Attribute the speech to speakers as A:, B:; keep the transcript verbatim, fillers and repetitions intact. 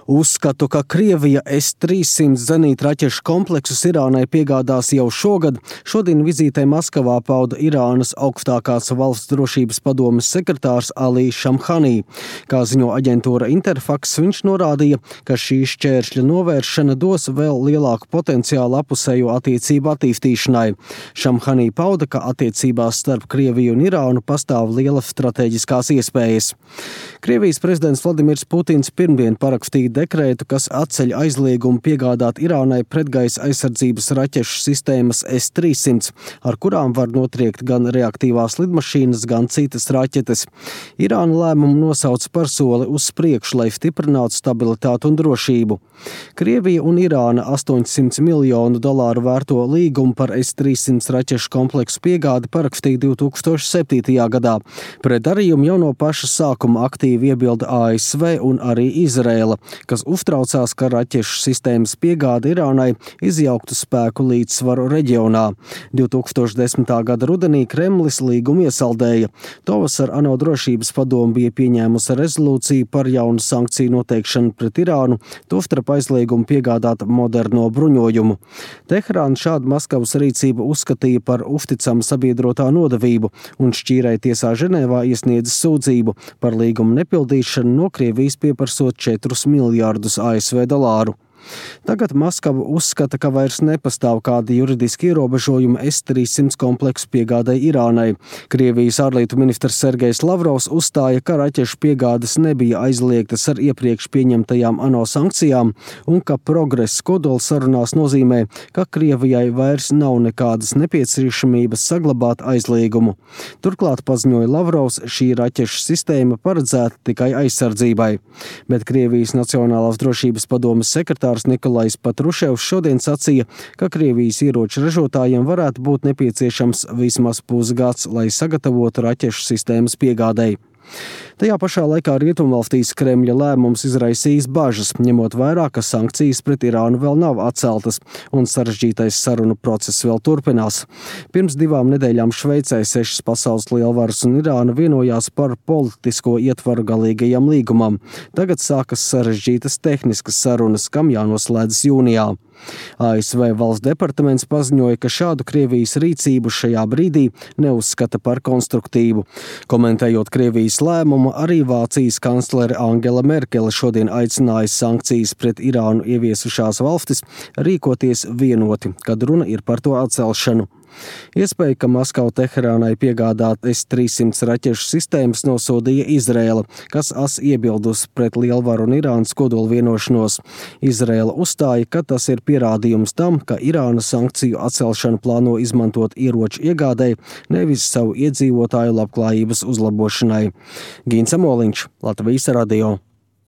A: Uzskatu, ka Krievija S trīssimt zenītraķešu kompleksus Irānai piegādās jau šogad. Šodien vizītē Maskavā pauda Irānas augstākās valsts drošības padomes sekretārs Ali Šamhanī. Kā ziņo aģentūra Interfax, viņš norādīja, ka šī šķēršļa novēršana dos vēl lielāku potenciālu apusējo attiecību attīstīšanai. Šamhanī pauda, ka attiecībās starp Krieviju un Irānu pastāv lielas strateģiskās iespējas. Krievijas prezidents Vladimirs Putins pirmdien parakstīja dekrētu, kas atceļ aizliegumu piegādāt Irānai pretgaisa aizsardzības raķešu sistēmas S trīssimt, ar kurām var notriekt gan reaktīvās lidmašīnas, gan citas raķetes. Irāna lēmumu nosauca par soli uz priekšu, lai stiprinātu stabilitātu un drošību. Krievija un Irāna astoņsimt miljonu dolāru vērto līgumu par S trīssimt raķešu kompleksu piegādi parakstīja divi tūkstoši septītajā gadā. Pret darījumu jau no paša sākuma aktīvi iebilda A S V un arī Izraela, kas uztraucās, ka raķešu sistēmas piegāde Irānai izjauktu spēku līdzsvaru reģionā. divi tūkstoši desmitā gada rudenī Kremlis līgumu iesaldēja. Tovasar ANO drošības padome bija pieņēmusi rezolūciju par jaunu sankciju noteikšanu pret Irānu, tostarp aizliegumu piegādāt moderno bruņojumu. Teherāna šādu Maskavas rīcību uzskatīja par uzticamu sabiedrotā nodevību un šķīrai tiesā Ženēvā iesniedza sūdzību par līgumu nepildīšanu no Krievijas pieprasot četrus miljārdus A S V dolāru. Tagad Maskava uzskata, ka vairs nepastāv kādi juridiski ierobežojumi S trīssimt kompleksu piegādai Irānai. Krievijas ārlietu ministrs Sergejs Lavrovs uzstāja, ka raķešu piegādes nebija aizliegtas ar iepriekš pieņemtajām ANO sankcijām un ka progress kodola sarunās nozīmē, ka Krievijai vairs nav nekādas nepieciešamības saglabāt aizliegumu. Turklāt, paziņoja Lavrovs, šī raķešu sistēma paredzēta tikai aizsardzībai. Bet Krievijas Nacionālās drošības padomes sekretārs Nikolais Patruševs šodien sacīja, ka Krievijas ieroču ražotājiem varētu būt nepieciešams vismaz pusgads, lai sagatavotu raķešu sistēmas piegādei. Tajā pašā laikā Rietumvalstīs Kremļa lēmums izraisījis bažas, ņemot vērā, ka sankcijas pret Irānu vēl nav atceltas un sarežģītais sarunu process vēl turpinās. Pirms divām nedēļām Šveicē sešas pasaules lielvaras un Irāna vienojās par politisko ietvaru galīgajam līgumam. Tagad sākas sarežģītas tehniskas sarunas, kam jānoslēdzas jūnijā. A S V valsts departaments paziņoja, ka šādu Krievijas rīcību šajā brīdī neuzskata par konstruktīvu. Komentējot Krievijas lēmumu, arī Vācijas kanclere Angela Merkele šodien aicināja sankcijas pret Irānu ieviesušās valstis rīkoties vienoti, kad runa ir par to atcelšanu. Iespēja, ka Maskava Teherānai piegādāt S trīssimt raķešu sistēmas nosodīja Izraela, kas as iebildusi pret lielvaru un Irānas kodola vienošanos. Izraela uzstāja, ka tas ir pierādījums tam, ka Irāna sankciju atcelšanu plāno izmantot ieroču iegādei, nevis savu iedzīvotāju labklājības uzlabošanai. Gins Amoliņš, Latvijas radio.